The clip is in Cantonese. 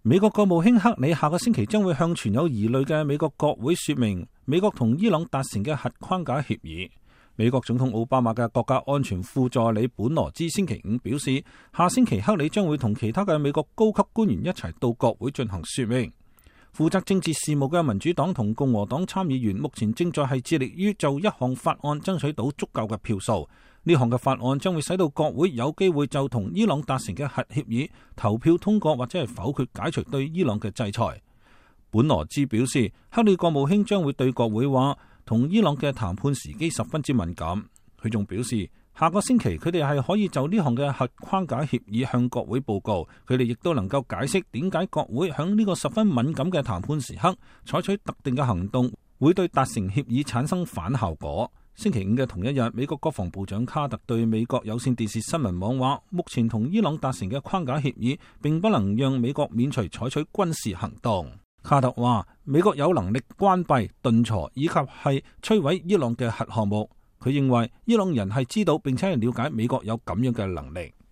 美國國務卿克里下個星期將會向存有疑慮嘅美國國會說明美國同伊朗達成嘅核框架協議。美國總統奧巴馬嘅國家安全副助理本羅茲星期五表示，下星期克里將會同其他嘅美國高級官員一齊到國會進行說明。負責政治事務嘅民主黨同共和黨參議員目前正在係致力於就一項法案爭取到足夠嘅票數。呢項嘅法案將會使到國會有機會就同伊朗達成嘅核協議投票通過，或者係否決解除對伊朗嘅制裁。本羅茲表示，克里國務卿將會對國會話，同伊朗嘅談判時機十分之敏感。佢仲表示，下個星期佢哋係可以就呢項嘅核框架協議向國會報告。佢哋亦都能夠解釋點解國會響呢個十分敏感嘅談判時刻採取特定嘅行動，會對達成協議產生反效果。星期五嘅同一日，美國國防部長卡特對美國有線電視新聞網話，目前同伊朗達成嘅框架協議並不能讓美國免除採取軍事行動。卡特話，美國有能力關閉、頓挫以及係摧毀伊朗嘅核項目。佢認為伊朗人係知道並且係了解美國有咁樣嘅能力。